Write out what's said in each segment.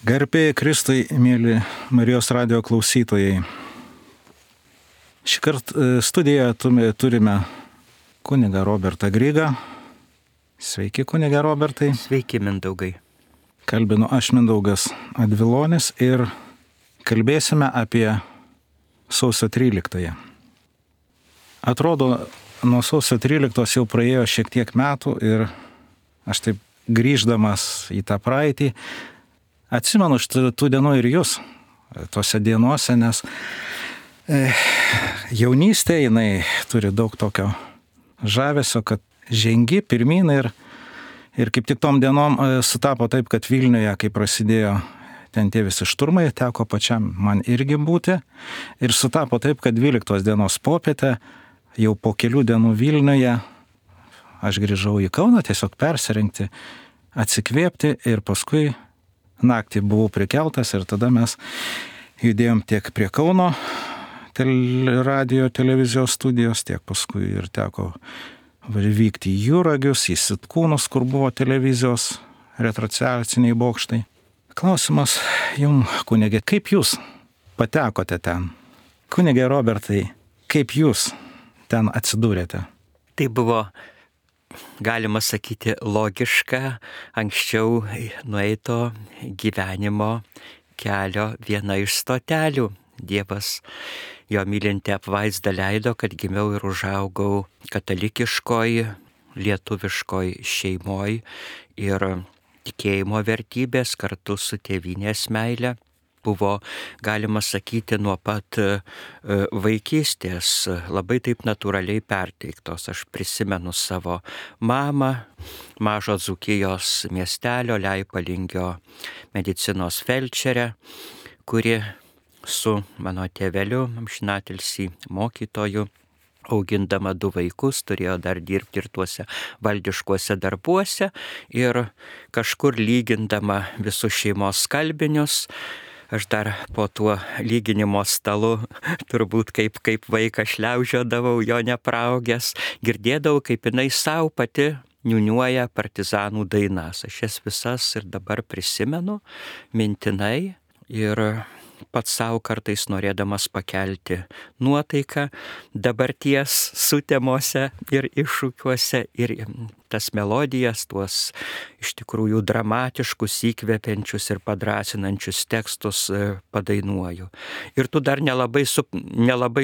Garbė Kristui, mėly Marijos radijo klausytojai. Šį kartą studijoje turime kunigą Robertą Grygą. Sveiki, kunigą Robertai. Sveiki, Mindaugai. Kalbinu aš, Mindaugas Advilonis, ir kalbėsime apie sausio 13. Atrodo, nuo sausio 13 jau praėjo šiek tiek metų ir aš taip grįždamas į tą praeitį atsimenu tų dienų ir jūs tose dienose, nes jaunystė jinai turi daug tokio žavesio, kad žengi pirmyn ir kaip tik tom dienom sutapo taip, kad Vilniuje, kai prasidėjo ten tie visi šturmai, teko pačiam man irgi būti ir sutapo taip, kad 12 dienos popietę jau po kelių dienų Vilniuje aš grįžau į Kauną tiesiog persirengti, atsikvėpti ir paskui naktį buvau prikeltas ir tada mes judėjom tiek prie Kauno radijo televizijos studijos, tiek paskui ir teko vykti į Juragius, į Sitkūnus, kur buvo televizijos retrociaciniai bokštai. Klausimas jums, kunigė, kaip jūs patekote ten? Kunigė Robertai, kaip jūs ten atsidūrėte? Tai buvo, galima sakyti, logiška anksčiau nueito gyvenimo kelio viena iš stotelių. Dievas jo mylinti apvaizda leido, kad gimiau ir užaugau katalikiškoj, lietuviškoj šeimoj ir tikėjimo vertybės kartu su tėvynės meile buvo, galima sakyti, nuo pat vaikystės labai taip natūraliai perteiktos. Aš prisimenu savo mamą, mažo Dzūkijos miestelio Leipalingio medicinos felčerę, kuri su mano tėveliu, amžinatilsį mokytoju, augindama 2 vaikus, turėjo dar dirbti ir tuose valdiškuose darbuose ir kažkur lygindama visus šeimos skalbinius. Aš dar po tuo lyginimo stalu turbūt kaip vaikas šliaužiodavau, jo nepraugęs, girdėdavau, kaip jinai savo pati niūniuoja partizanų dainas. Aš jas visas ir dabar prisimenu mintinai ir pats savo kartais norėdamas pakelti nuotaiką dabarties sutemose ir iššūkiuose ir tas melodijas, tuos iš tikrųjų dramatiškus, įkvepiančius ir padrąsinančius tekstus padainuoju. Ir tu dar nelabai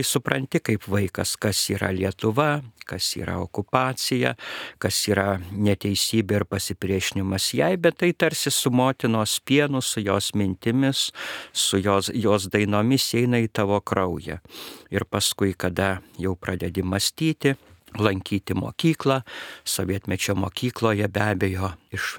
supranti kaip vaikas, kas yra Lietuva, kas yra okupacija, kas yra neteisybė ir pasipriešinimas jai, bet tai tarsi su motinos pienu, su jos mintimis, su jos dainomis eina į tavo kraują. Ir paskui, kada jau pradedi mąstyti, lankyti mokyklą, sovietmečio mokykloje be abejo iš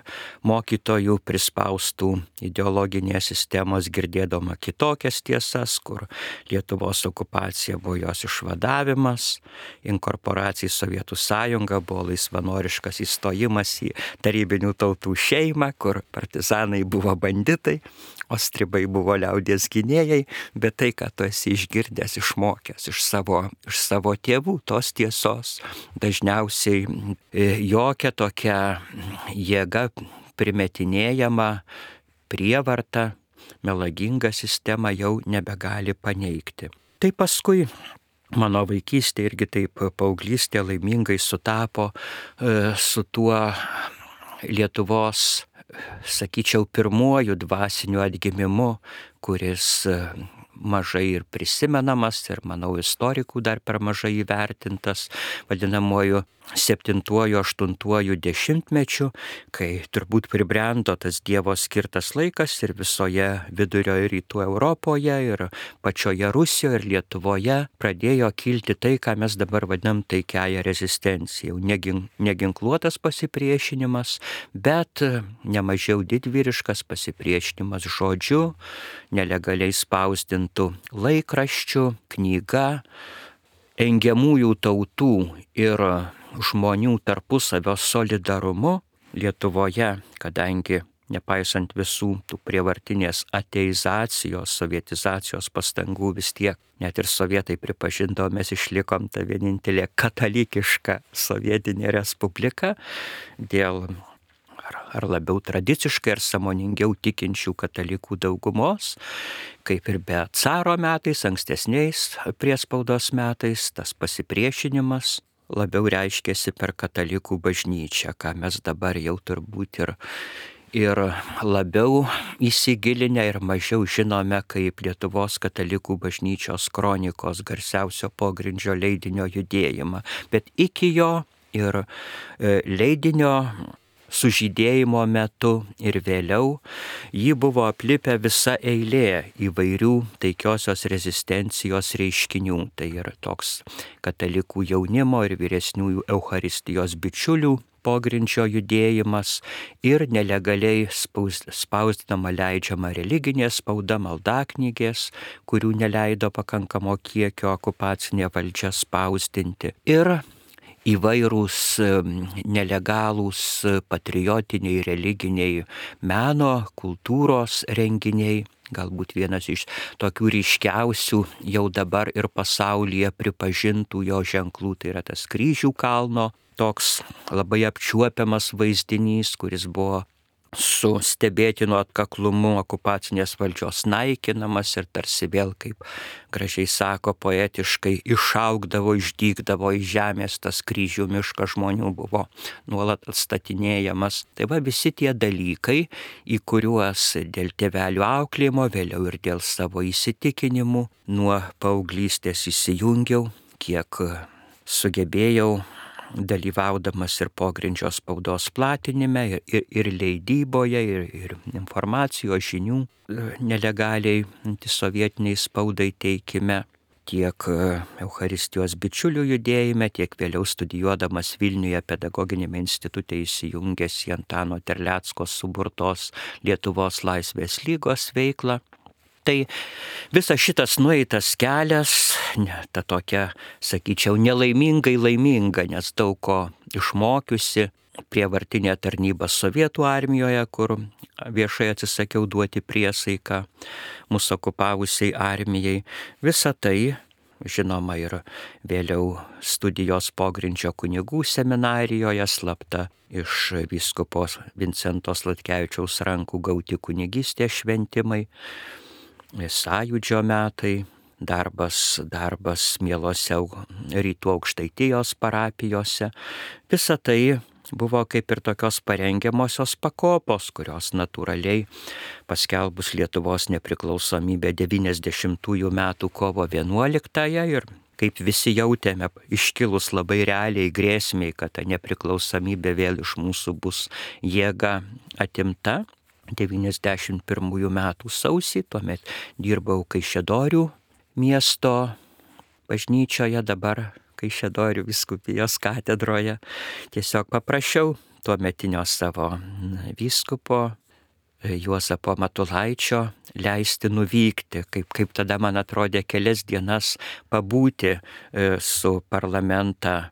mokytojų prispaustų ideologinės sistemos girdėdama kitokias tiesas, kur Lietuvos okupacija buvo jos išvadavimas, inkorporacija į Sovietų sąjungą buvo laisvanoriškas įstojimas į tarybinių tautų šeimą, kur partizanai buvo banditai, o stribai buvo liaudies gynėjai, bet tai, ką tu esi išgirdęs, išmokęs iš savo tėvų, tos tiesos dažniausiai jokia tokia jėga primetinėjama prievarta, melaginga sistema jau nebegali paneigti. Tai paskui mano vaikystė irgi taip paauglystė laimingai sutapo su tuo Lietuvos, sakyčiau, pirmuoju dvasiniu atgimimu, kuris mažai ir prisimenamas ir, manau, istorikų dar per mažai įvertintas, vadinamuoju 7-8 dešimtmečiu, kai turbūt pribrendo tas Dievo skirtas laikas ir visoje vidurio ir rytų Europoje ir pačioje Rusijoje ir Lietuvoje pradėjo kilti tai, ką mes dabar vadinam taikiąją rezistenciją. Neginkluotas pasipriešinimas, bet nemažiau didvyriškas pasipriešinimas žodžiu, nelegaliai spausdintų laikraščių, knyga, engiamųjų tautų ir žmonių tarpusavio solidarumu Lietuvoje, kadangi nepaisant visų tų prievartinės ateizacijos, sovietizacijos pastangų vis tiek, net ir sovietai pripažindavo, mes išlikom ta vienintelė katalikiška sovietinė respublika dėl ar labiau tradiciškai, ar sąmoningiau tikinčių katalikų daugumos, kaip ir be caro metais, ankstesniais priespaudos metais, tas pasipriešinimas labiau reiškėsi per katalikų bažnyčią, ką mes dabar jau turbūt ir labiau įsigilinę ir mažiau žinome kaip Lietuvos katalikų bažnyčios kronikos garsiausio pogrindžio leidinio judėjimą. Bet iki jo ir leidinio sužydėjimo metu ir vėliau jį buvo aplipę visa eilė įvairių taikiosios rezistencijos reiškinių. Tai yra toks katalikų jaunimo ir vyresniųjų Eucharistijos bičiulių pogrindžio judėjimas ir nelegaliai spausdinama leidžiama religinė spauda, maldaknygės, kurių neleido pakankamo kiekio okupacinė valdžia spausdinti. Ir įvairūs nelegalūs patriotiniai, religiniai meno, kultūros renginiai. Galbūt vienas iš tokių ryškiausių jau dabar ir pasaulyje pripažintų jo ženklų, tai yra tas Kryžių kalno, toks labai apčiuopiamas vaizdinys, kuris buvo su stebėtinu atkaklumu okupacinės valdžios naikinamas ir tarsi vėl, kaip gražiai sako poetiškai, išaugdavo, išdygdavo iš žemės tas kryžių miškas, žmonių buvo nuolat atstatinėjamas. Tai va visi tie dalykai, į kuriuos dėl tėvelių auklėjimo, vėliau ir dėl savo įsitikinimų nuo paauglystės įsijungiau, kiek sugebėjau, dalyvaudamas ir pogrindžio spaudos platinime, ir leidyboje, ir informacijos žinių nelegaliai antisovietiniai spaudai teikime, tiek Eucharistijos bičiulių judėjime, tiek vėliau studijuodamas Vilniuje pedagoginiame institute įsijungęs į Antano Terlecko suburtos Lietuvos laisvės lygos veiklą. Tai visas šitas nueitas kelias, ta tokia, sakyčiau, nelaimingai laiminga, nes daug ko išmokiusi, prievartinė tarnyba Sovietų armijoje, kur viešai atsisakiau duoti priesaiką mūsų okupavusiai armijai. Visa tai, žinoma, ir vėliau studijos pogrindžio kunigų seminarijoje, slapta iš vyskupo Vincento Sladkevičiaus rankų gauti kunigystės šventimai, sąjūdžio metai, darbas mielose rytų Aukštaitijos parapijose. Visa tai buvo kaip ir tokios parengiamosios pakopos, kurios natūraliai paskelbus Lietuvos nepriklausomybę 90 metų kovo 11-ąją ir kaip visi jautėme, iškilus labai realiai grėsmiai, kad ta nepriklausomybė vėl iš mūsų bus jėga atimta. 91 metų sausį, tuomet dirbau Kaišiadorių miesto bažnyčioje, dabar Kaišiadorių vyskupijos katedroje. Tiesiog paprašiau tuometinio savo vyskupo Juozapo Matulaičio leisti nuvykti, kaip tada man atrodė kelias dienas pabūti su parlamentą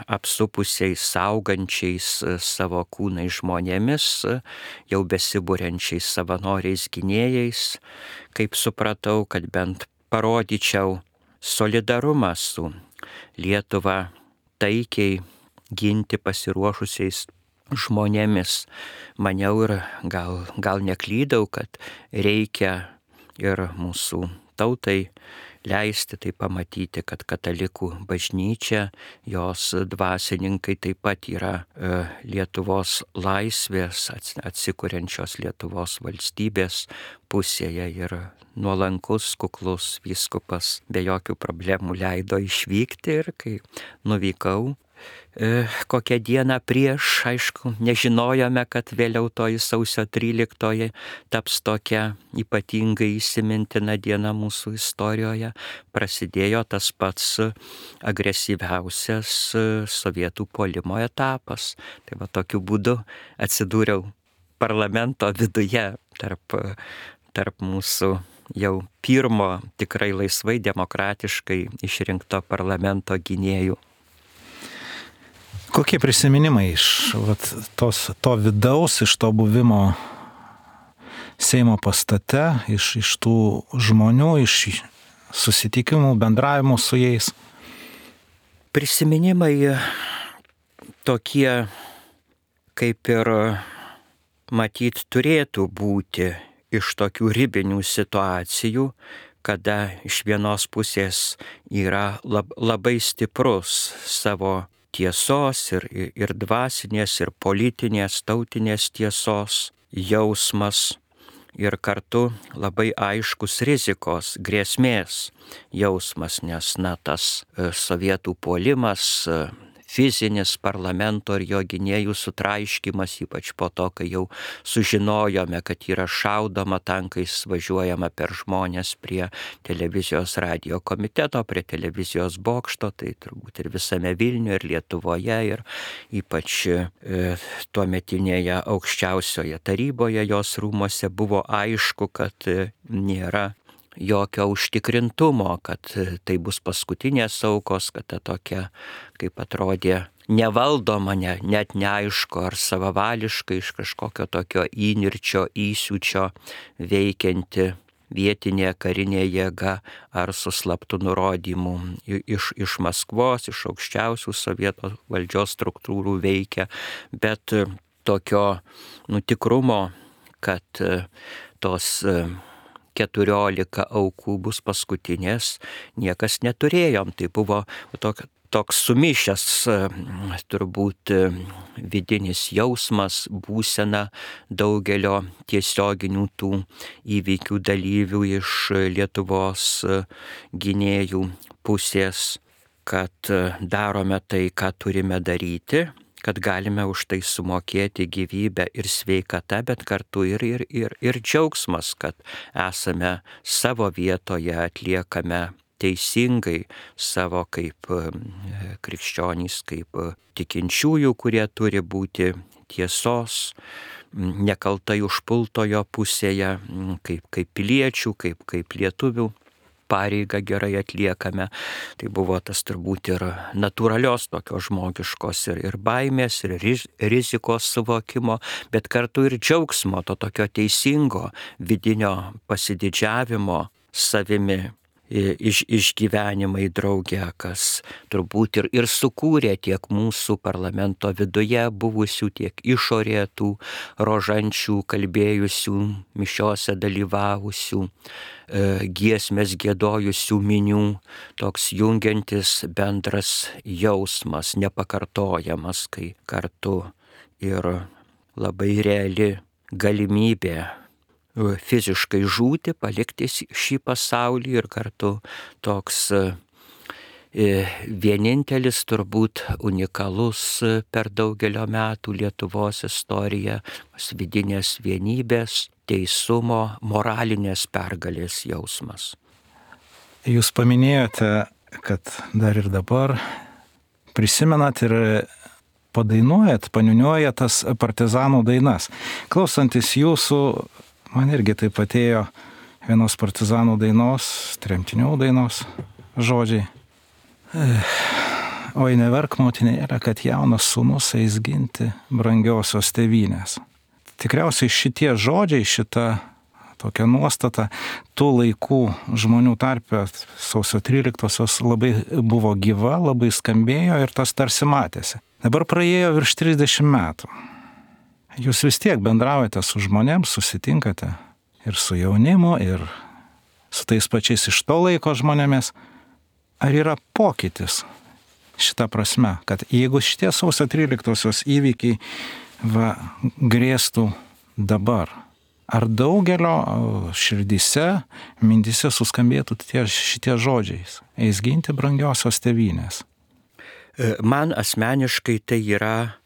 apsupusiais, saugančiais savo kūnai žmonėmis, jau besibūrenčiais savanoriais gynėjais, kaip supratau, kad bent parodyčiau solidarumą su Lietuvą taikiai ginti pasiruošusiais žmonėmis. Maniau ir gal neklydau, kad reikia ir mūsų tautai leisti tai pamatyti, kad katalikų bažnyčia, jos dvasininkai taip pat yra Lietuvos laisvės, atsikuriančios Lietuvos valstybės pusėje ir nuolankus, kuklus vyskupas be jokių problemų leido išvykti ir kai nuvykau, kokią dieną prieš, aišku, nežinojome, kad vėliau toji sausio 13 taps tokia ypatingai įsimintina diena mūsų istorijoje, prasidėjo tas pats agresyviausias sovietų puolimo etapas. Tai va tokiu būdu atsidūriau parlamento viduje tarp mūsų jau pirmo tikrai laisvai demokratiškai išrinkto parlamento gynėjų. Kokie prisiminimai iš to vidaus, iš to buvimo Seimo pastate, iš tų žmonių, iš susitikimų, bendravimų su jais? Prisiminimai tokie, kaip ir matyt turėtų būti iš tokių ribinių situacijų, kada iš vienos pusės yra labai stiprus savo tiesos ir dvasinės, ir politinės, tautinės tiesos jausmas ir kartu labai aiškus rizikos, grėsmės jausmas, nes tas sovietų puolimas, fizinis parlamento ir jo gynėjų sutraiškymas, ypač po to, kai jau sužinojome, kad yra šaudoma tankais, važiuojama per žmonės prie televizijos radijo komiteto, prie televizijos bokšto, tai turbūt ir visame Vilniuje, ir Lietuvoje, ir ypač tuometinėje aukščiausioje taryboje, jos rūmose buvo aišku, kad nėra jokio užtikrintumo, kad tai bus paskutinės aukos, kad ta tokia, kaip atrodė, nevaldoma, net neaišku, ar savavališkai iš kažkokio tokio įnirčio, įsiūčio veikianti vietinė karinė jėga, ar su slaptu nurodymu iš Maskvos, iš aukščiausių sovietų valdžios struktūrų veikia, bet tokio tikrumo, kad tos 14 aukų bus paskutinės, niekas neturėjom. Tai buvo toks sumišęs turbūt vidinis jausmas, būsena daugelio tiesioginių tų įvykių dalyvių iš Lietuvos gynėjų pusės, kad darome tai, ką turime daryti, kad galime už tai sumokėti gyvybę ir sveikatą, bet kartu ir džiaugsmas, kad esame savo vietoje, atliekame teisingai savo kaip krikščionys, kaip tikinčiųjų, kurie turi būti tiesos, nekaltai užpultojo pusėje, kaip piliečių, kaip lietuvių pareigą gerai atliekame. Tai buvo tas turbūt ir natūralios tokios žmogiškos ir baimės, ir rizikos suvokimo, bet kartu ir džiaugsmo, to tokio teisingo vidinio pasididžiavimo savimi išgyvenimai drauge, kas turbūt ir sukūrė tiek mūsų parlamento viduje buvusių, tiek išorėje tų rožančių, kalbėjusių, mišiose dalyvavusių, giesmės giedojusių minių, toks jungiantis bendras jausmas, nepakartojamas, kai kartu ir labai reali galimybė fiziškai žūti, palikti šį pasaulį ir kartu toks vienintelis, turbūt unikalus per daugelio metų Lietuvos istoriją, vidinės vienybės, teisumo, moralinės pergalės jausmas. Jūs paminėjote, kad dar ir dabar prisimenat ir padainuojat, paniuniuojat tas partizanų dainas. Klausantis jūsų, man irgi taip atėjo vienos partizanų dainos, tremtinių dainos žodžiai. Oi neverk motinėlė, kad jaunas sūnus eis ginti brangiosios tėvynės. Tikriausiai šitie žodžiai, šita tokia nuostata tų laikų žmonių tarpe sausio 13-osios labai buvo gyva, labai skambėjo ir tas tarsi matėsi. Dabar praėjo virš 30 metų. Jūs vis tiek bendraujate su žmonėms, susitinkate ir su jaunimu, ir su tais pačiais iš to laiko žmonėmis. Ar yra pokytis šitą prasme, kad jeigu šitie sausio 13-osios įvykiai grėstų dabar, ar daugelio širdyse, mintyse suskambėtų šitie žodžiais, eis ginti brangiosios tėvynės? Man asmeniškai tai yra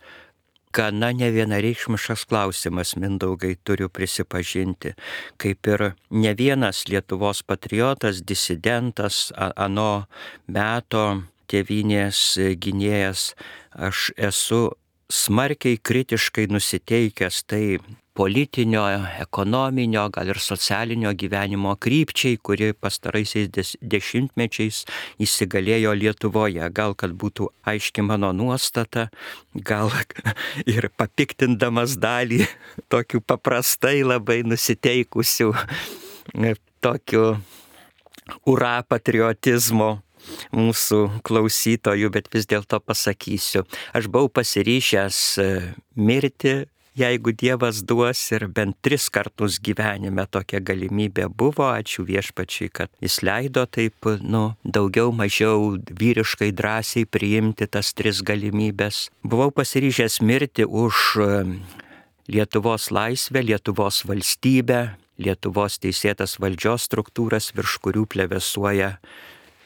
gana nevienareikšmiškas klausimas, Mindaugai, turiu prisipažinti. Kaip ir ne vienas Lietuvos patriotas, disidentas, ano meto tėvynės gynėjas, aš esu smarkiai kritiškai nusiteikęs tai politinio, ekonominio, gal ir socialinio gyvenimo krypčiai, kuri pastaraisiais dešimtmečiais įsigalėjo Lietuvoje. Gal kad būtų aiški mano nuostata, gal ir papiktindamas dalį tokių paprastai labai nusiteikusių tokių ura patriotizmo mūsų klausytojų, bet vis dėlto pasakysiu. Aš buvau pasiryžęs mirti, jeigu Dievas duos, ir bent 3 kartus gyvenime tokia galimybė buvo. Ačiū Viešpačiui, kad Jis leido taip, daugiau mažiau vyriškai drąsiai priimti tas 3 galimybės. Buvau pasiryžęs mirti už Lietuvos laisvę, Lietuvos valstybę, Lietuvos teisėtas valdžios struktūras, virš kurių plevėsuoja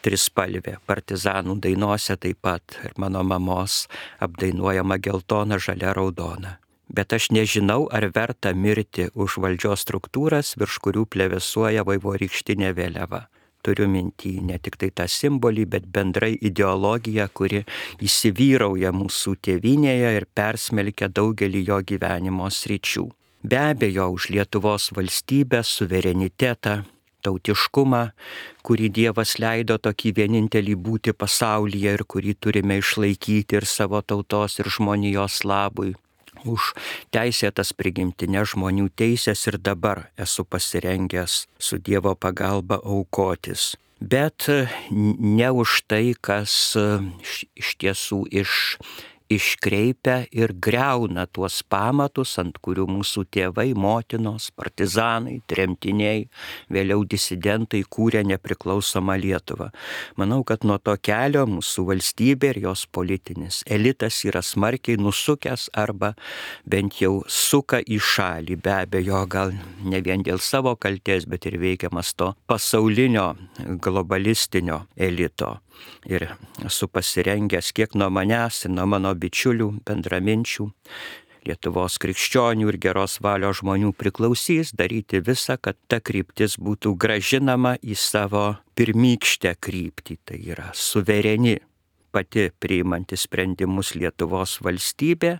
trispalvė. Partizanų dainose taip pat ir mano mamos apdainuojama geltona, žalia, raudona. Bet aš nežinau, ar verta mirti už valdžios struktūras, virš kurių plevėsuoja vaivorykštinė vėliava. Turiu minty ne tik tai tą simbolį, bet bendrai ideologiją, kuri įsivyrauja mūsų tėvynėje ir persmelkia daugelį jo gyvenimo sričių. Be abejo, už Lietuvos valstybę, suverenitetą, tautiškumą, kurį Dievas leido tokį vienintelį būti pasaulyje ir kurį turime išlaikyti ir savo tautos ir žmonijos labui. Už teisėtas prigimtinės žmonių teisės ir dabar esu pasirengęs su Dievo pagalba aukotis. Bet ne už tai, kas iš tiesų iškreipia ir greuna tuos pamatus, ant kurių mūsų tėvai, motinos, partizanai, tremtiniai, vėliau disidentai kūrė nepriklausomą Lietuvą. Manau, kad nuo to kelio mūsų valstybė ir jos politinis elitas yra smarkiai nusukęs arba bent jau suka į šalį. Be abejo, gal ne vien dėl savo kaltės, bet ir veikiamas to pasaulinio globalistinio elito. Ir esu pasirengęs kiek nuo manęs ir nuo mano bičiulių, bendraminčių, Lietuvos krikščionių ir geros valios žmonių priklausys daryti visą, kad ta kryptis būtų grąžinama į savo pirmykštę kryptį. Tai yra suvereni, pati priimanti sprendimus Lietuvos valstybė,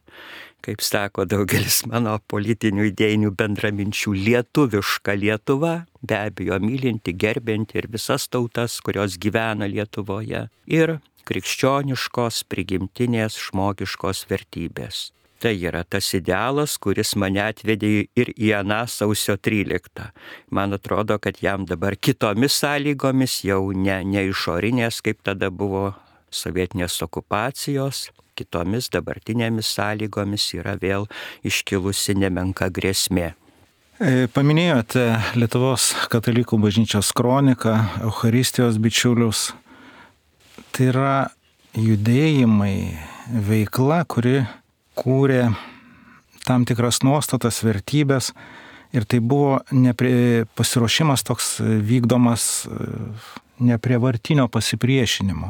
kaip sako daugelis mano politinių idėjinių bendraminčių, lietuviška Lietuva, be abejo mylinti, gerbinti ir visas tautas, kurios gyvena Lietuvoje, ir krikščioniškos, prigimtinės, žmogiškos vertybės. Tai yra tas idealas, kuris mane atvedė ir į aną sausio 13. Man atrodo, kad jam dabar kitomis sąlygomis, jau ne išorinės, kaip tada buvo sovietinės okupacijos, kitomis dabartinėmis sąlygomis yra vėl iškilusi nemenka grėsmė. Paminėjote Lietuvos katalikų bažnyčios kroniką, Eucharistijos bičiulius. Tai yra judėjimai, veikla, kuri kūrė tam tikras nuostatas, vertybės, ir tai buvo pasiruošimas toks vykdomas neprievartinio pasipriešinimo.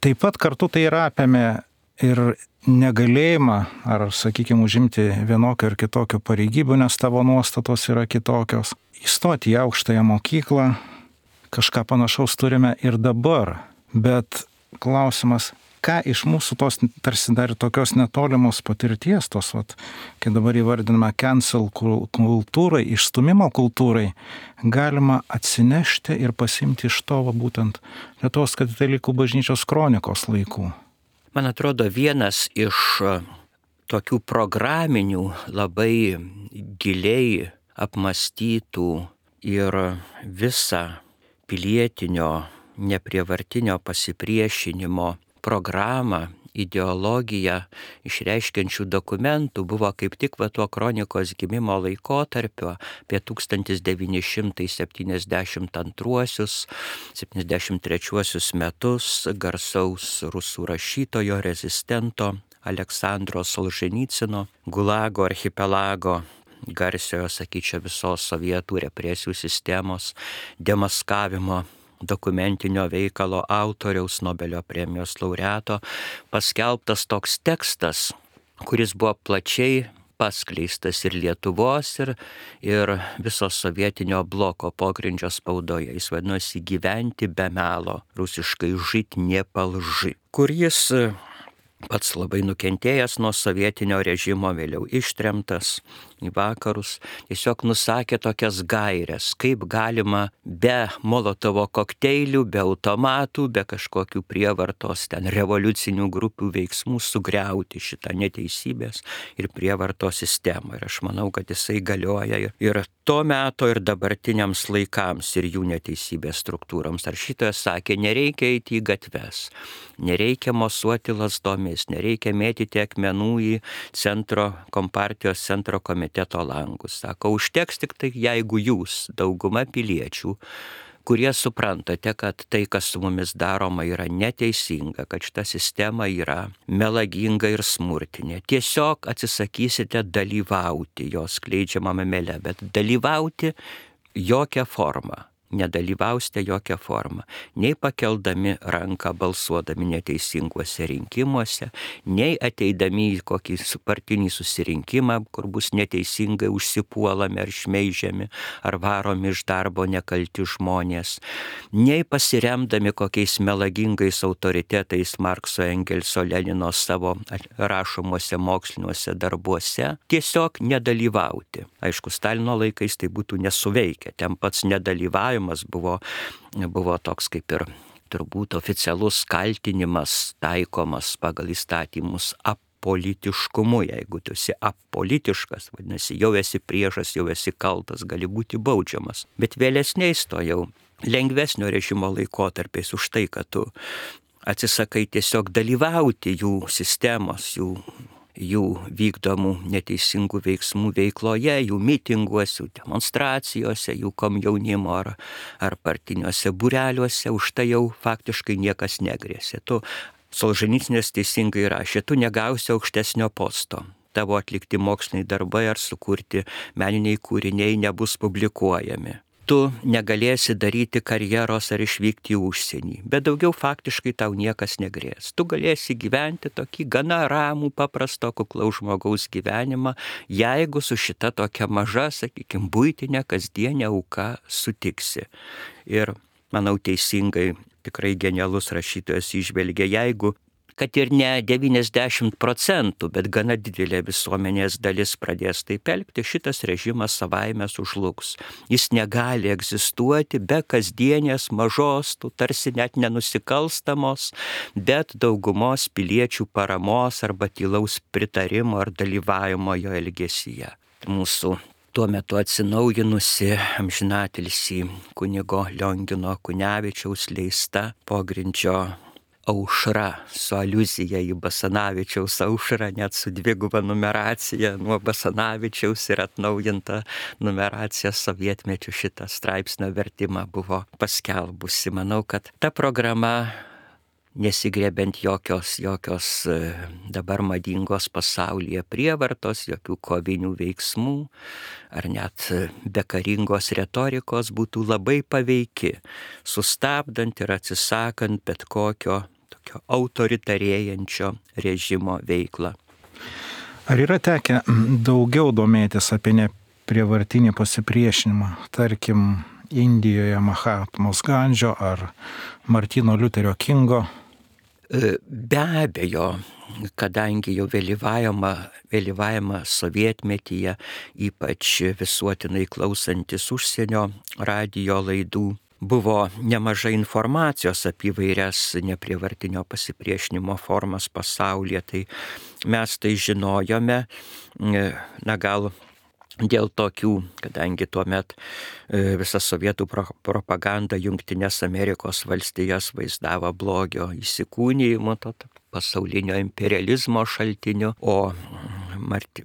Taip pat kartu tai yra apėmė ir negalėjimą, ar, sakykime, užimti vienokio ir kitokio pareigybių, nes tavo nuostatos yra kitokios. Įstoti į aukštąją mokyklą, kažką panašaus turime ir dabar. Bet klausimas, ką iš mūsų tos tarsi dar tokios netolimos patirties, kai dabar įvardiname cancel kultūrai, išstumimo kultūrai, galima atsinešti ir pasimti iš to būtent Lietuvos katalikų bažnyčios kronikos laikų. Man atrodo, vienas iš tokių programinių, labai giliai apmąstytų ir visą pilietinio, neprievartinio pasipriešinimo programą, ideologiją išreiškiančių dokumentų buvo kaip tik tuo kronikos gimimo laikotarpio apie 1972-73 metus garsaus rusų rašytojo, rezistento Aleksandro Solženycino Gulago archipelago, garsiojo, sakyčiau, visos sovietų represijų sistemos demaskavimo dokumentinio veikalo autoriaus, Nobelio premijos laureato, paskelbtas toks tekstas, kuris buvo plačiai paskleistas ir Lietuvos, ir viso sovietinio bloko pogrindžio spaudoje. Jis vadinosi Gyventi be melo, rusiškai žit nepalži, kur jis pats labai nukentėjęs nuo sovietinio režimo, vėliau ištremtas, į vakarus, tiesiog nusakė tokias gairias, kaip galima be Molotovo kokteilių, be automatų, be kažkokių prievartos ten revoliucinių grupių veiksmų sugriauti šitą neteisybės ir prievartos sistemą. Ir aš manau, kad jisai galioja ir to meto, ir dabartiniams laikams, ir jų neteisybės struktūroms. Rašytojas sakė, nereikia eiti į gatves, nereikia mosuoti lazdomis, nereikia mėtyti akmenų į kompartijos centro komiteto langus. Sako, užteks tik tai, jeigu jūs, dauguma piliečių, kurie suprantate, kad tai, kas su mumis daroma, yra neteisinga, kad šita sistema yra melaginga ir smurtinė. Tiesiog atsisakysite dalyvauti jos skleidžiamame mele, bet dalyvauti jokią formą. Nedalyvausite jokią formą, nei pakeldami ranką balsuodami neteisinguose rinkimuose, nei ateidami į kokį partinį susirinkimą, kur bus neteisingai užsipuolami ar šmeižiami, ar varomi iš darbo nekalti žmonės, nei pasiremdami kokiais melagingais autoritetais Markso, Engelso, Lenino savo rašomuose moksliniuose darbuose, tiesiog nedalyvauti. Aišku, Stalino laikais tai būtų nesuveikę, ten pats nedalyvavimas buvo toks kaip ir turbūt oficialus kaltinimas taikomas pagal įstatymus apolitiškumu. Jeigu tu esi apolitiškas, vadinasi, jau esi priešas, jau esi kaltas, gali būti baudžiamas. Bet vėlesniais to jau lengvesnio režimo laikotarpiais už tai, kad tu atsisakai tiesiog dalyvauti jų sistemos, jų vykdomų neteisingų veiksmų veikloje, jų mitinguose, demonstracijose, jų komjaunimo ar partiniuose būreliuose, už tai jau faktiškai niekas negrėsė. Solženicynas teisingai rašė, tu negausi aukštesnio posto. Tavo atlikti moksliniai darbai ar sukurti meniniai kūriniai nebus publikuojami. Tu negalėsi daryti karjeros ar išvykti į užsienį, bet daugiau faktiškai tau niekas negrės. Tu galėsi gyventi tokį gana ramų, paprasto, kuklaus žmogaus gyvenimą, jeigu su šita tokia maža, sakykime, buitinė, kasdienė auka sutiksi. Ir, manau, teisingai, tikrai genialus rašytojas įžvelgia, jeigu kad ir ne 90%, bet gana didelė visuomenės dalis pradės taip elgti, šitas režimas savaime sužlugs. Jis negali egzistuoti be kasdienės mažos, tarsi net nenusikalstamos, bet daugumos piliečių paramos arba tylaus pritarimo ar dalyvavimo jo elgesyje. Mūsų tuo metu atsinaujinusi amžinatilsį kunigo Liongino Kunevičiaus leista pogrindžio Aušra su aliuzija į Basanavičiaus aušrą, net su dviguba numeracija nuo Basanavičiaus ir atnaujinta numeracija sovietmečiu šitą straipsnio vertimą buvo paskelbusi. Manau, kad ta programa, nesigriebent jokios dabar madingos pasaulyje prievartos, jokių kovinių veiksmų ar net bekaringos retorikos, būtų labai paveiki, sustabdant ir atsisakant bet kokio tokio autoritarėjančio režimo veiklą. Ar yra tekę daugiau domėtis apie neprievartinį pasipriešinimą, tarkim, Indijoje Mahatmos Gandžio ar Martino Liuterio Kingo? Be abejo, kadangi jau vėlyvajame sovietmetyje, ypač visuotinai klausantis užsienio radijo laidų, buvo nemažai informacijos apie įvairias neprievartinio pasipriešinimo formas pasaulyje, tai mes tai žinojome, gal dėl tokių, kadangi tuomet visa sovietų propaganda Jungtinės Amerikos valstijas vaizdavo blogio įsikūnijimu, pasaulinio imperializmo šaltiniu, o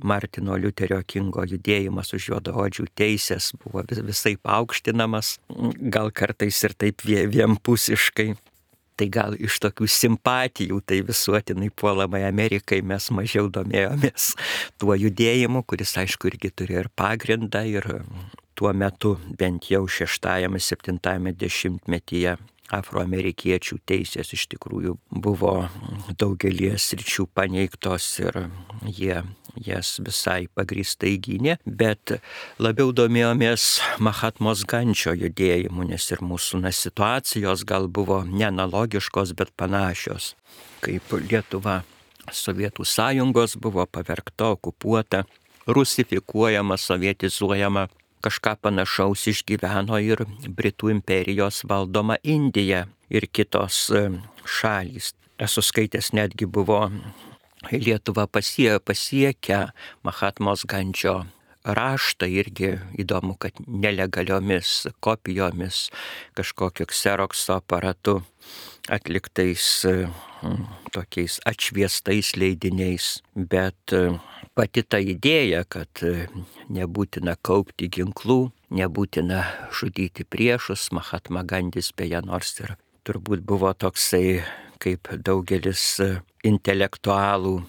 Martino Liuterio Kingo judėjimas už juodaodžių teisės buvo visai paaukštinamas, gal kartais ir taip vienpusiškai. Tai gal iš tokių simpatijų, tai visuotinai puolamai Amerikai mes mažiau domėjomės tuo judėjimu, kuris aišku irgi turėjo ir pagrindą, ir tuo metu bent jau 6-7 dešimtmetyje afroamerikiečių teisės iš tikrųjų buvo daugelį sričių paneigtos ir jie jas visai pagrįstai gynė, bet labiau domėjomės Mahatmos Gandžio judėjimu, nes ir mūsų situacijos gal buvo neanalogiškos, bet panašios. Kaip Lietuva Sovietų sąjungos buvo pavergta, okupuota, rusifikuojama, sovietizuojama. Kažką panašaus išgyveno ir Britų imperijos valdoma Indija ir kitos šalys. Esu skaitęs, netgi buvo Lietuva pasiekę Mahatmos Gandžio raštą, irgi įdomu, kad nelegaliomis kopijomis, kažkokiu kserokso aparatu atliktais tokiais atšviestais leidiniais, bet pati ta idėja, kad nebūtina kaupti ginklų, nebūtina žudyti priešus, Mahatma Gandis beje nors ir turbūt buvo toksai, kaip daugelis intelektualų,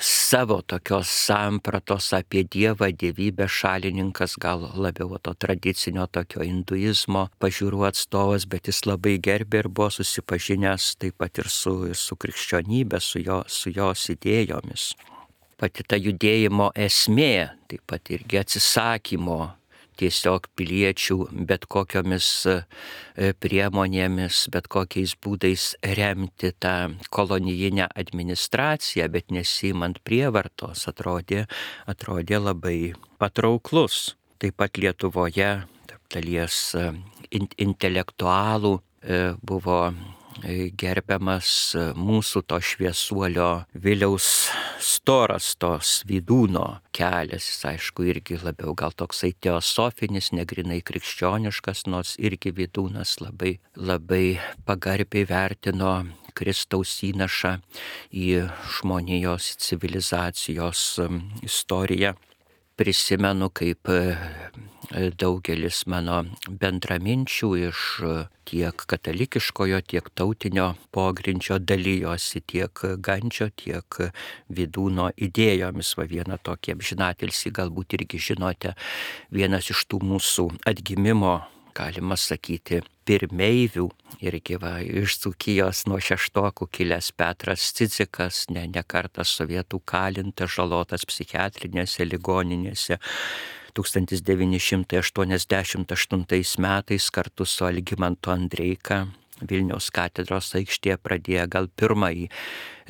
savo tokios sampratos apie Dievą, dievybę šalininkas, gal labiau to tradicinio tokio hinduizmo pažiūrų atstovas, bet jis labai gerbė ir buvo susipažinęs taip pat ir su krikščionybė, su jos idėjomis. Pati ta judėjimo esmė, taip pat irgi atsisakymo tiesiog piliečių bet kokiomis priemonėmis, bet kokiais būdais remti tą kolonijinę administraciją, bet nesiimant prievartos, atrodė labai patrauklus. Taip pat Lietuvoje tarp dalies intelektualų buvo gerbiamas mūsų to šviesuolio Viliaus Storastos Vydūno kelias. Jis aišku irgi labiau gal toksai teosofinis, negrinai krikščioniškas, nors irgi Vydūnas labai pagarbiai vertino Kristaus įnašą į žmonijos civilizacijos istoriją. Prisimenu, kaip daugelis mano bendraminčių iš tiek katalikiškojo, tiek tautinio pogrindžio dalyjosi tiek Gandžio, tiek Vydūno idėjomis. Va vieną tokį amžinatilsį galbūt irgi žinote, vienas iš tų mūsų atgimimo, galima sakyti, pirmeivių, irgi va iš Dzūkijos nuo šeštokų kilęs Petras Cidzikas, ne kartą sovietų kalintas, žalotas psichiatrinėse ligoninėse. 1988 metais kartu su Algimantu Andreika Vilniaus katedros aikštėje pradėjo gal pirmąjį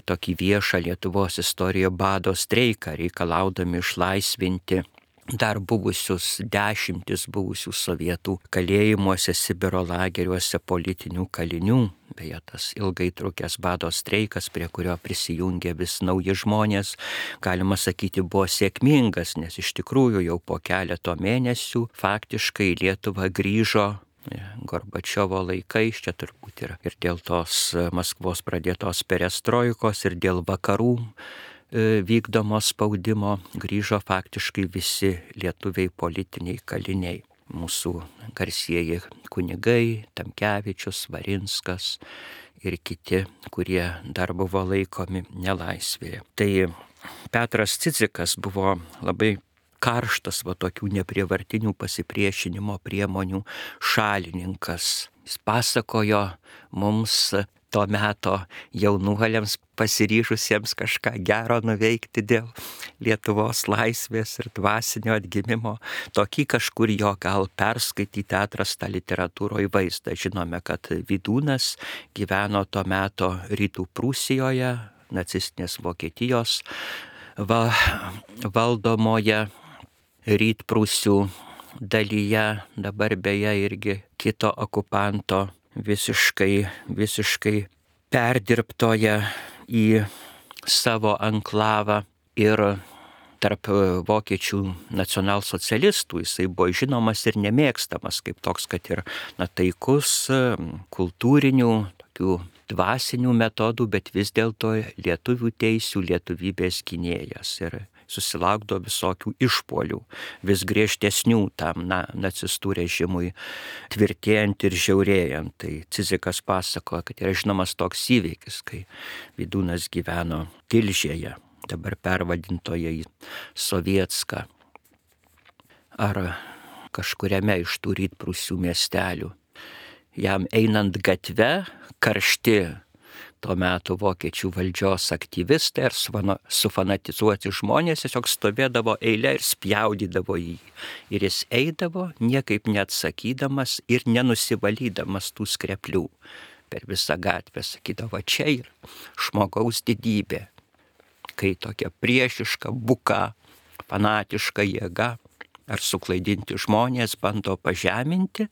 tokį viešą Lietuvos istorijoje bado streiką, reikalaudami išlaisvinti dar dešimtis buvusių sovietų kalėjimuose, Sibiro lageriuose politinių kalinių. Beje, tas ilgai trukęs bado streikas, prie kurio prisijungė vis nauji žmonės, galima sakyti, buvo sėkmingas, nes iš tikrųjų jau po keleto mėnesių faktiškai Lietuva grįžo Gorbačiovo laikais, čia turbūt ir dėl tos Maskvos pradėtos perestroikos, ir dėl vakarų vykdomo spaudimo grįžo faktiškai visi lietuviai politiniai kaliniai. Mūsų garsieji kunigai, Tamkevičius, Varinskas ir kiti, kurie dar buvo laikomi nelaisvėje. Tai Petras Cidzikas buvo labai karštas tokių neprievartinių pasipriešinimo priemonių šalininkas. Jis pasakojo mums to meto jaunuoliams pasiryžusiems kažką gero nuveikti dėl Lietuvos laisvės ir dvasinio atgimimo, tokį kažkur jo gal perskaityti atrastą literatūroje vaizdą. Žinome, kad Vydūnas gyveno to meto Rytų Prūsijoje, nacistinės Vokietijos valdomoje Rytprūsių dalyje, dabar beje irgi kito okupanto visiškai perdirbtoje į savo anklavą. Ir tarp vokiečių nacionalsocialistų jisai buvo žinomas ir nemėgstamas kaip toks, kad ir taikus, kultūrinių, tokių dvasinių metodų, bet vis dėlto lietuvių teisių, lietuvybės gynėjas. Ir susilaukdavo visokių išpuolių, vis griežtesnių tam nacistų režimui tvirtėjant ir žiaurėjant. Tai Cidzikas pasakoja, kad yra žinomas toks įvykis, kai Vydūnas gyveno Tilžėje, dabar pervadintoje į Sovietską, ar kažkuriame iš tų Rytprūsių miestelių. Jam einant gatve, karšti tuo metu vokiečių valdžios aktyvistai ir sufanatizuoti žmonės tiesiog stovėdavo eilė ir spjaudydavo jį. Ir jis eidavo, niekaip neatsakydamas ir nenusivalydamas tų skreplių per visą gatvę. Sakydavo, čia yra žmogaus didybė, kai tokia priešiška, buka fanatiška jėga ar suklaidinti žmonės bando pažeminti,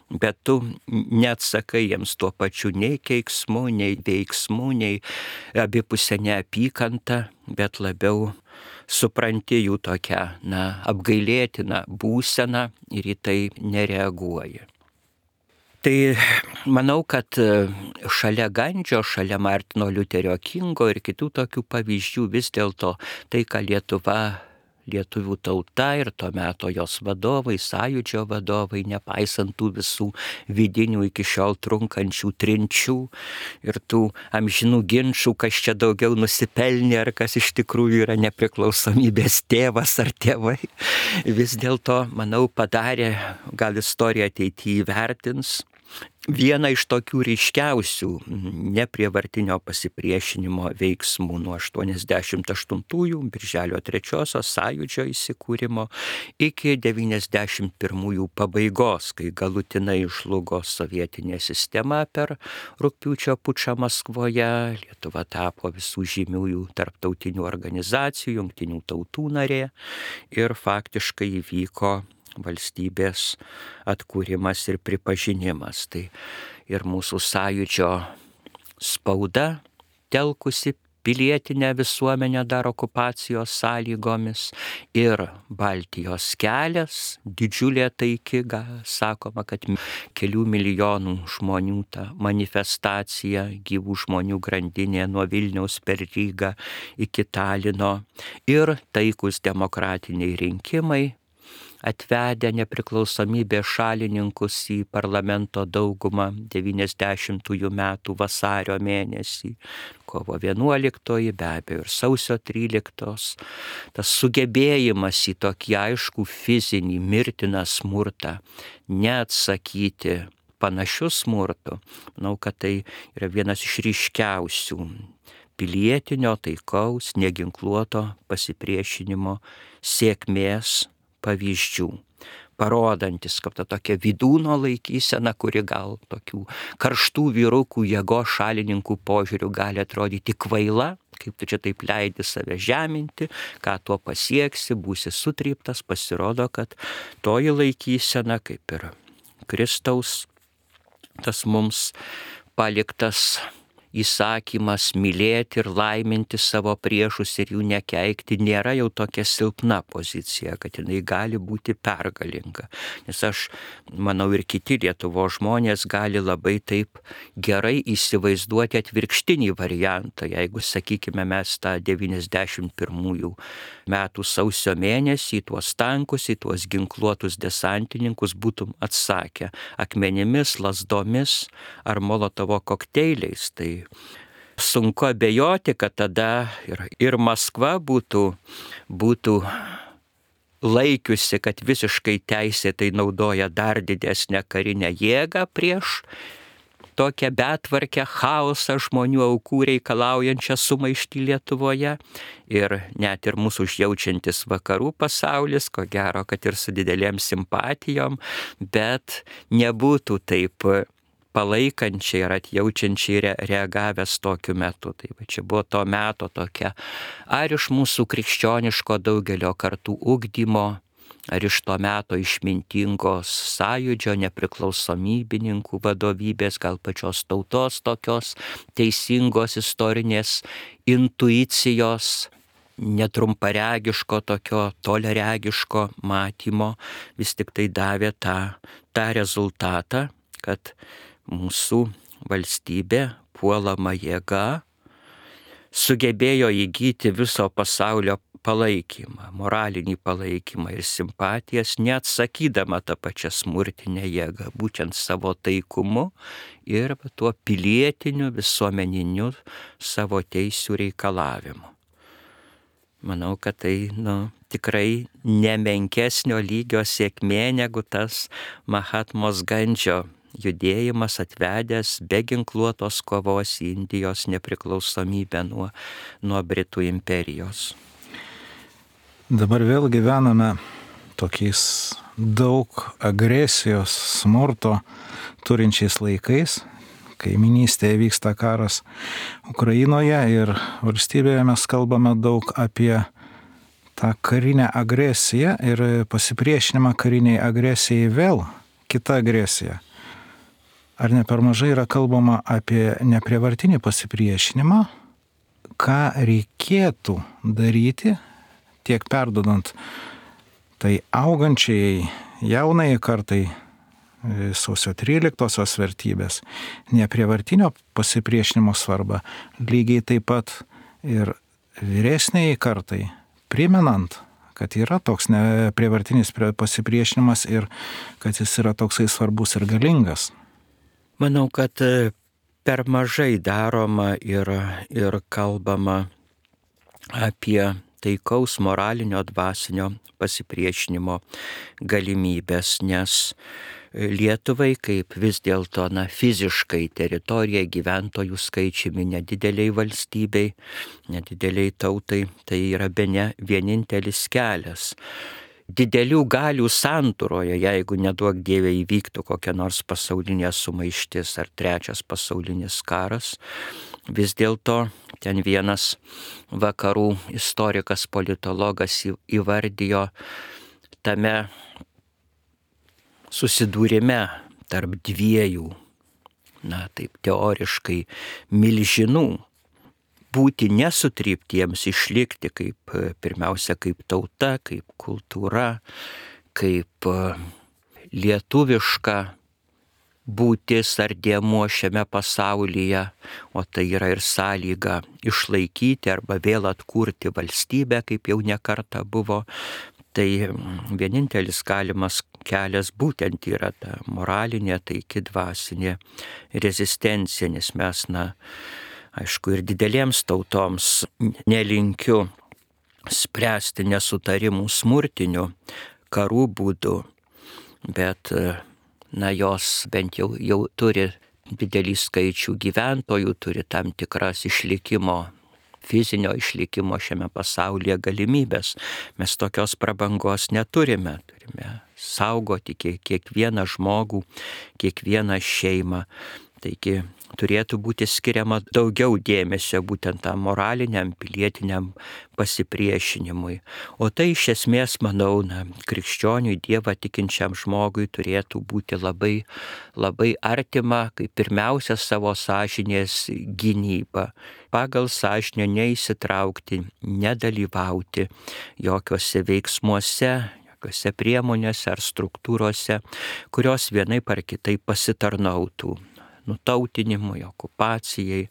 bet tu neatsakai jiems tuo pačiu nei keiksmu, nei veiksmu, nei abipusę neapykantą, bet labiau supranti jų tokią, apgailėtiną būseną ir į tai nereaguoji. Tai manau, kad šalia Gandžio, šalia Martino Liuterio Kingo ir kitų tokių pavyzdžių vis dėlto tai, ką lietuvių tauta ir to meto jos vadovai, sąjūdžio vadovai, nepaisant tų visų vidinių iki šiol trunkančių trinčių ir tų amžinų ginčų, kas čia daugiau nusipelnė, ar kas iš tikrųjų yra nepriklausomybės tėvas ar tėvai, vis dėlto, manau, padarė, gal istorija ateityje įvertins, vieną iš tokių ryškiausių neprievartinio pasipriešinimo veiksmų nuo 88-ųjų birželio 3-osios sąjūdžio įsikūrimo iki 91-ųjų pabaigos, kai galutinai žlugo sovietinė sistema per rugpjūčio pučą Maskvoje, Lietuva tapo visų žymiųjų tarptautinių organizacijų, jungtinių tautų narė ir faktiškai įvyko valstybės atkūrimas ir pripažinimas. Tai ir mūsų sąjūdžio spauda, telkusi pilietinę visuomenę dar okupacijos sąlygomis, ir Baltijos kelias, didžiulė taiki, sakoma, kad kelių milijonų žmonių ta manifestacija, gyvų žmonių grandinė nuo Vilniaus per Rygą iki Talino, ir taikus demokratiniai rinkimai, atvedę nepriklausomybės šalininkus į parlamento daugumą 90-ųjų metų vasario mėnesį, kovo 11, be abejo ir sausio 13, tas sugebėjimas į tokį aiškų fizinį mirtiną smurtą neatsakyti panašiu smurtu, manau, kad tai yra vienas iš ryškiausių pilietinio, taikaus, neginkluoto pasipriešinimo sėkmės pavyzdžių, parodantis, kad ta tokia vidūno laikysena, kuri gal tokių karštų vyrukų jėgos šalininkų požiūrių gali atrodyti kvaila, kaip tu čia taip leidi save žeminti, ką tuo pasieksi, būsi sutryptas, pasirodo, kad toji laikysena, kaip ir Kristaus, tas mums paliktas įsakymas mylėti ir laiminti savo priešus ir jų nekeikti, nėra jau tokia silpna pozicija, kad jinai gali būti pergalinga. Nes aš manau, ir kiti Lietuvos žmonės gali labai taip gerai įsivaizduoti atvirkštinį variantą, jeigu, sakykime, mes tą 91 metų sausio mėnesį, tuos tankus, į tuos ginkluotus desantininkus būtum atsakę akmenimis, lazdomis ar Molotovo kokteiliais. Tai sunku abejoti, kad tada ir Maskva būtų laikiusi, kad visiškai teisėtai naudoja dar didesnę karinę jėgą prieš tokią betvarkę, chaosą, žmonių aukų reikalaujančią sumaištį Lietuvoje, ir net ir mūsų užjaučiantis vakarų pasaulis, ko gero, kad ir su didelėm simpatijom, bet nebūtų taip palaikančiai ar atjaučiančiai reagavęs tokiu metu. Tai va, čia buvo to meto tokia, ar iš mūsų krikščioniško daugelio kartų ugdymo, ar iš to meto išmintingos sąjūdžio nepriklausomybininkų vadovybės, gal pačios tautos tokios teisingos istorinės intuicijos, netrumparegiško tokio toliaregiško matymo, vis tik tai davė tą rezultatą, kad mūsų valstybė puolama jėga sugebėjo įgyti viso pasaulio palaikymą, moralinį palaikymą ir simpatijas, neatsakydama tą pačią smurtinę jėgą, būtent savo taikumu ir tuo pilietiniu, visuomeniniu savo teisių reikalavimu. Manau, kad tai tikrai nemenkesnio lygio sėkmė negu tas Mahatmos Gandžio judėjimas atvedęs be ginkluotos kovos į Indijos nepriklausomybę nuo Britų imperijos. Dabar vėl gyvename tokiais daug agresijos, smurto turinčiais laikais. Kaiminystėje vyksta karas Ukrainoje ir valstybėje mes kalbame daug apie tą karinę agresiją ir pasipriešinimą kariniai agresijai vėl kita agresija. Ar ne per mažai yra kalbama apie neprievartinį pasipriešinimą, ką reikėtų daryti, tiek perdodant tai augančiai jaunai kartai sausio 13-osios vertybės, neprievartinio pasipriešinimo svarbą, lygiai taip pat ir vyresniai kartai, primenant, kad yra toks neprievartinis pasipriešinimas ir kad jis yra toksai svarbus ir galingas. Manau, kad per mažai daroma ir kalbama apie taikaus moralinio dvasinio pasipriešinimo galimybės, nes Lietuvai kaip vis dėlto fiziškai teritorija gyventojų skaičiumi nedideliai valstybei, nedideliai tautai, tai yra bene vienintelis kelias. Didelių galių santūroje, jeigu neduok Dieve įvyktų kokia nors pasaulinė sumaištis ar trečias pasaulinis karas, vis dėlto ten vienas vakarų istorikas, politologas įvardijo tame susidūrime tarp dviejų, taip teoriškai, milžinų, būti nesutryptiems, išlikti kaip, pirmiausia, kaip tauta, kaip kultūra, kaip lietuviška būtis ar dėmuo šiame pasaulyje, o tai yra ir sąlyga išlaikyti arba vėl atkurti valstybę, kaip jau nekarta buvo. Tai vienintelis galimas kelias būtent yra ta moralinė, taiki dvasinė rezistencija, nes mes, aišku, ir didelėms tautoms nelinkiu spręsti nesutarimų smurtinių karų būdu, bet, jos bent jau turi didelį skaičių gyventojų, turi tam tikras fizinio išlikimo šiame pasaulyje galimybės. Mes tokios prabangos neturime. Turime saugoti kiekvieną žmogų, kiekvieną šeimą. Taigi turėtų būti skiriama daugiau dėmesio būtent tam moraliniam, pilietiniam pasipriešinimui. O tai iš esmės, manau, krikščioniui, Dievą tikinčiam žmogui turėtų būti labai, labai artima, kaip pirmiausia savo sąžinės gynyba. Pagal sąžinę neįsitraukti, nedalyvauti jokiuose veiksmuose, jokiuose priemonėse ar struktūrose, kurios vienaip ar kitaip pasitarnautų nutautinimui, okupacijai,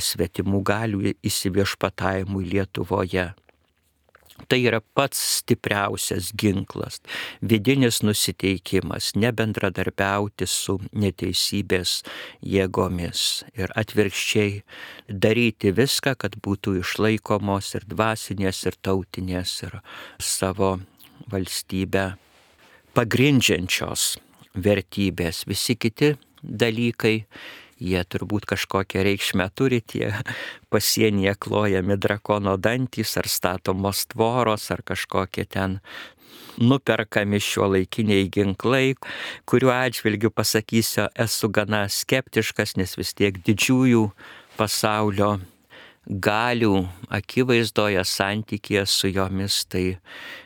svetimų galių įsiviešpatavimui Lietuvoje. Tai yra pats stipriausias ginklas, vidinis nusiteikimas, nebendradarbiauti su neteisybės jėgomis ir atvirkščiai daryti viską, kad būtų išlaikomos ir dvasinės, ir tautinės, ir savo valstybę pagrindžiančios vertybės. Visi kiti dalykai, jie turbūt kažkokią reikšmę turi, tie pasienyje klojami drakono dantys ar statomos tvoros ar kažkokie ten nuperkami šiuolaikiniai ginklai, kuriuo atžvilgiu pasakysiu, esu gana skeptiškas, nes vis tiek didžiųjų pasaulio galių akivaizdoje santykėje su jomis, tai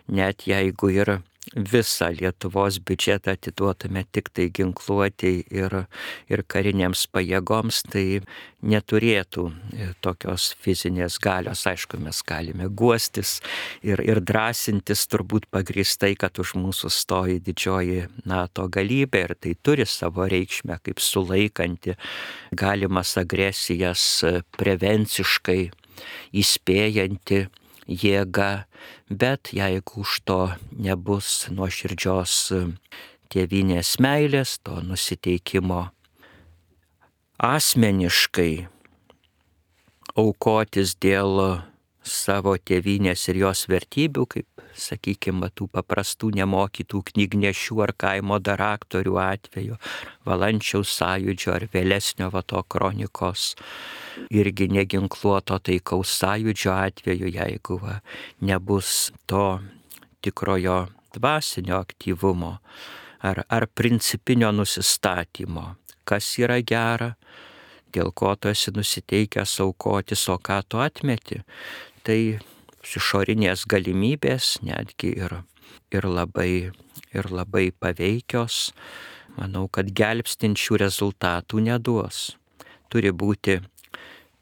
net jeigu ir visą Lietuvos biudžetą atiduotume tik tai ginkluotei ir karinėms pajėgoms, tai neturėtų tokios fizinės galios. Aišku, mes galime guostis ir drąsintis turbūt pagrįstai, kad už mūsų stoji didžioji NATO galybė ir tai turi savo reikšmę kaip sulaikanti galimas agresijas, prevenciškai įspėjanti jėga, bet jeigu už to nebus nuoširdžios tėvynės meilės, to nusiteikimo asmeniškai aukotis dėl savo tėvynės ir jos vertybių, kaip, sakykime, tų paprastų nemokytų knygnešių ar kaimo daraktorių atveju, Valančiaus sąjūdžio ar vėlesnio to kronikos, irgi neginkluoto taikaus sąjūdžio atveju, jeigu nebus to tikrojo dvasinio aktyvumo ar principinio nusistatymo, kas yra gera, dėl ko tu esi nusiteikęs aukotis, o ką tu atmeti. Tai išorinės galimybės, netgi ir labai paveikios, manau, kad gelbstinčių rezultatų neduos. Turi būti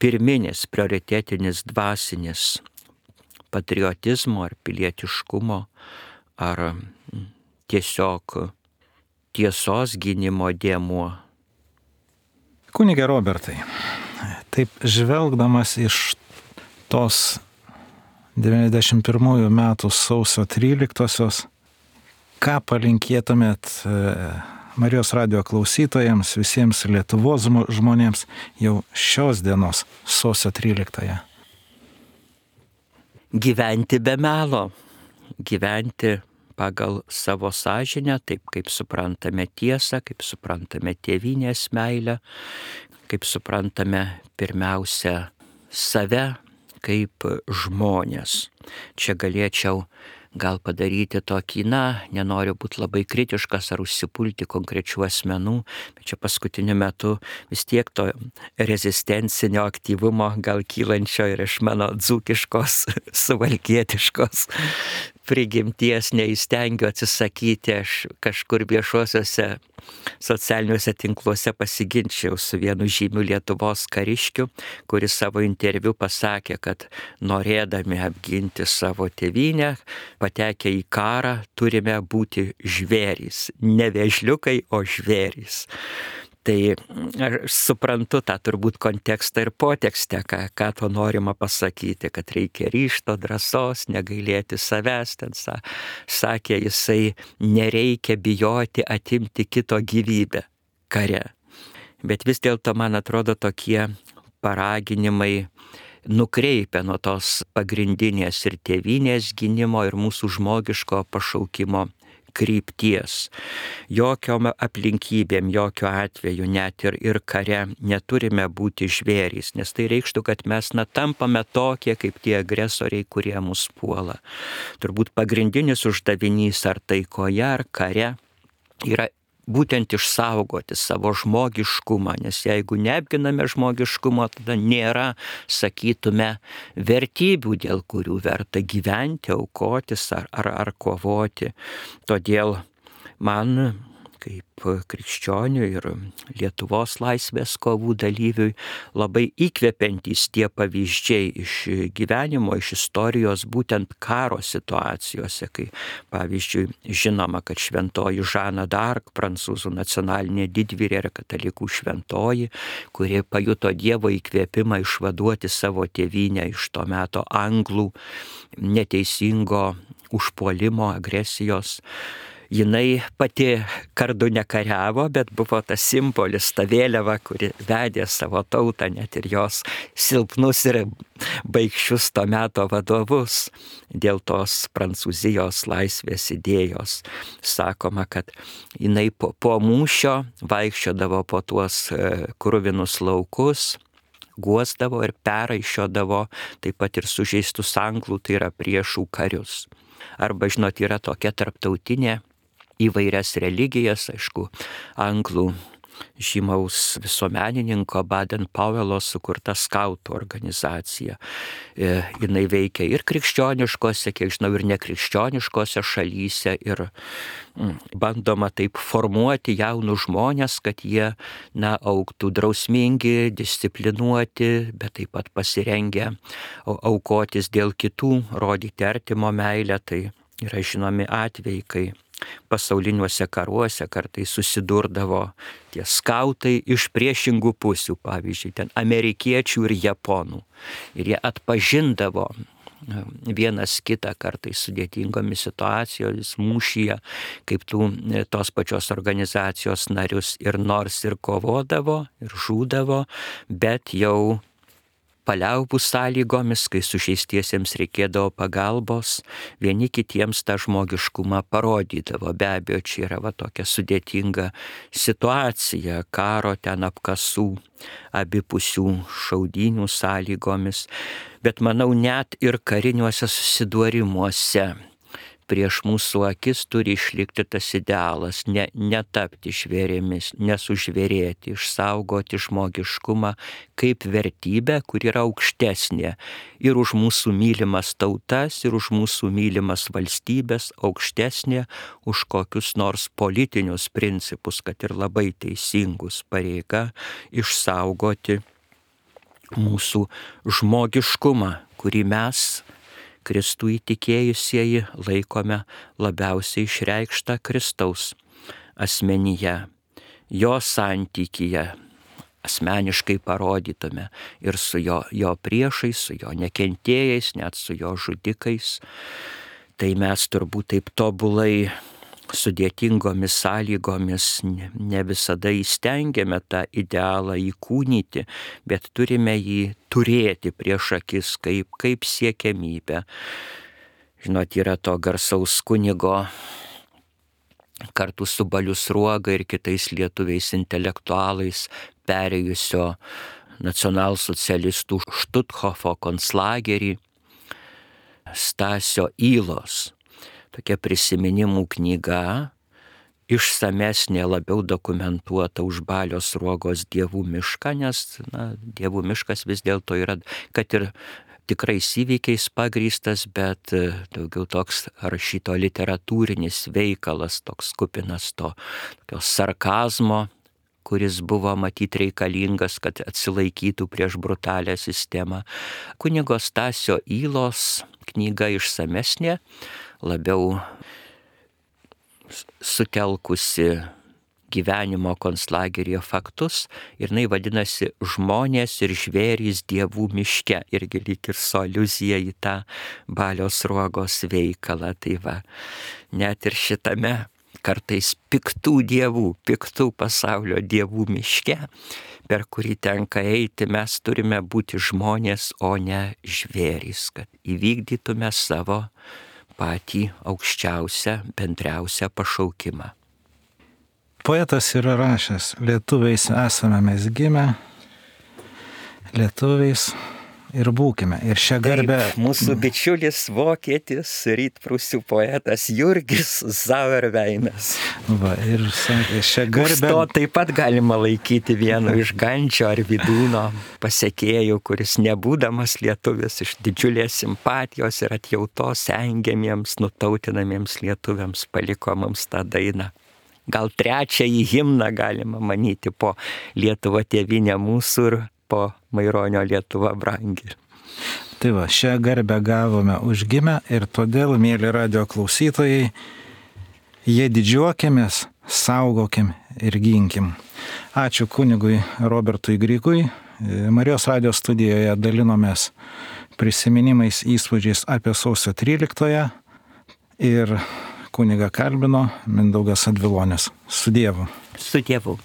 pirminis, prioritetinis, dvasinis patriotizmo ar pilietiškumo ar tiesiog tiesos gynimo dėmuo. Kunige Robertai, taip žvelgdamas iš tos 91 metų sausio 13-osios, ką palinkėtumėt Marijos radijo klausytojams, visiems Lietuvos žmonėms jau šios dienos sausio 13-ąją? Gyventi be melo, gyventi pagal savo sąžinę, taip kaip suprantame tiesą, kaip suprantame tėvynės meilę, kaip suprantame pirmiausia save kaip žmonės. Čia galėčiau gal padaryti tokį, nenoriu būti labai kritiškas ar užsipulti konkrečių asmenų, bet čia paskutiniu metu vis tiek to rezistencinio aktyvumo gal kylančio ir iš mano dzūkiškos, suvalkietiškos prigimties neįstengiu atsisakyti. Aš kažkur viešuosiuose socialiniuose tinkluose pasiginčiau su vienu žymiu Lietuvos kariškiu, kuris savo interviu pasakė, kad norėdami apginti savo tėvynę, patekę į karą, turime būti žvėrys. Ne vėžliukai, o žvėrys. Tai aš suprantu tą turbūt kontekstą ir potekstę, ką to norima pasakyti, kad reikia ryžto, drąsos, negailėti savęs. Ten sakė jisai, nereikia bijoti atimti kito gyvybę kare. Bet vis dėlto, man atrodo, tokie paraginimai nukreipia nuo tos pagrindinės ir tėvynės gynimo ir mūsų žmogiško pašaukimo krypties. Jokiom aplinkybėm, jokiu atveju, net ir kare neturime būti žvėrys, nes tai reikštų, kad mes tampame tokie kaip tie agresoriai, kurie mus puola. Turbūt pagrindinis uždavinys ar taikoje, ar kare yra būtent išsaugoti savo žmogiškumą, nes jeigu neapginame žmogiškumo, tada nėra, sakytume, vertybių, dėl kurių verta gyventi, aukotis ar kovoti. Todėl man, kaip krikščioniui ir Lietuvos laisvės kovų dalyviui, labai įkvepiantys tie pavyzdžiai iš gyvenimo, iš istorijos, būtent karo situacijose, kai, pavyzdžiui, žinoma, kad šventoji Žana d'Arc, prancūzų nacionalinė didvyrė ir katalikų šventoji, kuri pajuto Dievo įkvėpimą išvaduoti savo tėvynę iš to meto anglų neteisingo užpuolimo, agresijos. Jinai pati kardu nekariavo, bet buvo tas simbolis, ta vėliava, kuri vedė savo tautą, net ir jos silpnus ir baikščius to meto vadovus dėl tos Prancūzijos laisvės idėjos. Sakoma, kad jinai po mūšio vaikščiodavo po tuos kruvinus laukus, guosdavo ir peraišiodavo taip pat ir sužeistus anglų, tai yra priešų karius. Arba, žinot, yra tokia tarptautinė įvairias religijas, aišku, anglų žymaus visuomenininko Baden-Powello sukurta skautų organizacija. Jinai veikia ir krikščioniškose, kiek žinau, ir nekrikščioniškose šalyse ir bandoma taip formuoti jaunus žmonės, kad jie augtų drausmingi, disciplinuoti, bet taip pat pasirengę aukotis dėl kitų, rodyti artimo meilę. Tai yra žinomi atvejai, kai pasauliniuose karuose kartais susidurdavo tie skautai iš priešingų pusių, pavyzdžiui, ten amerikiečių ir japonų. Ir jie atpažindavo vienas kitą kartais sudėtingomis situacijomis mūšyje, kaip tos pačios organizacijos narius, ir nors ir kovodavo, ir žūdavo, bet jau paliaubų sąlygomis, kai sužeistiesiems reikėdavo pagalbos, vieni kitiems tą žmogiškumą parodydavo. Be abejo, čia yra tokia sudėtinga situacija, karo ten apkasų, abipusių šaudynių sąlygomis, bet manau net ir kariniuose susidūrimuose prieš mūsų akis turi išlikti tas idealas, netapti žvėrėmis, nesužvėrėti, išsaugoti žmogiškumą kaip vertybę, kur yra aukštesnė ir už mūsų mylimas tautas, ir už mūsų mylimas valstybės, aukštesnė už kokius nors politinius principus, kad ir labai teisingus, pareiga išsaugoti mūsų žmogiškumą, kurį mes, Kristų įtikėjusieji, laikome labiausiai išreikštą Kristaus asmenyje, jo santykyje, asmeniškai parodytume ir su jo priešais, su jo nekentėjais, net su jo žudikais. Tai mes turbūt taip tobulai sudėtingomis sąlygomis ne visada įstengiame tą idealą įkūnyti, bet turime jį turėti prieš akis kaip siekiamybę. Žinot, yra to garsaus kunigo kartu su Baliu Sruoga ir kitais lietuviais intelektualais perėjusio nacionalsocialistų Štuthofo konclagerį Stasio Ylos. Tokia prisiminimų knyga, išsamesnė, labiau dokumentuota už Balio Sruogos Dievų mišką, nes Dievų miškas vis dėlto yra, kad ir tikrais įvykiais pagrįstas, bet daugiau toks rašyto literatūrinis veikalas, toks kupinas tokio sarkazmo, kuris buvo matyti reikalingas, kad atsilaikytų prieš brutalią sistemą. Kunigo Stasio Ylos knyga išsamesnė, labiau sutelkusi gyvenimo konclageryje faktus ir jinai vadinasi Žmonės ir žvėrys dievų miške, irgi lyg ir su aliuzija į tą Balio Sruogos veikalą. Tai va, net ir šitame kartais piktų dievų, piktų pasaulio dievų miške, per kurį tenka eiti, mes turime būti žmonės, o ne žvėrys, kad įvykdytume savo patį aukščiausią, bendriausią pašaukimą. Poetas yra rašęs, lietuviais esame mes gimę, lietuviais ir būkime. Ir šią garbę... Taip, mūsų bičiulis vokietis, rytprūsių poetas Jurgis Zauerveinas. Va, ir sakė, šią garbę... To taip pat galima laikyti vienu iš Gančio ar Vydūno pasekėjų, kuris nebūdamas lietuvis iš didžiulės simpatijos ir atjautos engiamiems, nutautinamiems lietuviams paliko mums tą dainą. Gal trečiąjį himną galima manyti po Lietuva tėvynė mūsų ir po Maironio Lietuva brangi. Tai va, šią garbę gavome užgimę ir todėl, mėly radio klausytojai, jie didžiuokimės, saugokim ir ginkim. Ačiū kunigui Robertui Grigui. Marijos radio studijoje dalinomės prisiminimais, įspūdžiais apie sausio 13-ąją ir kunigą kalbino Mindaugas Advilonis. Su Dievu. Su Dievu.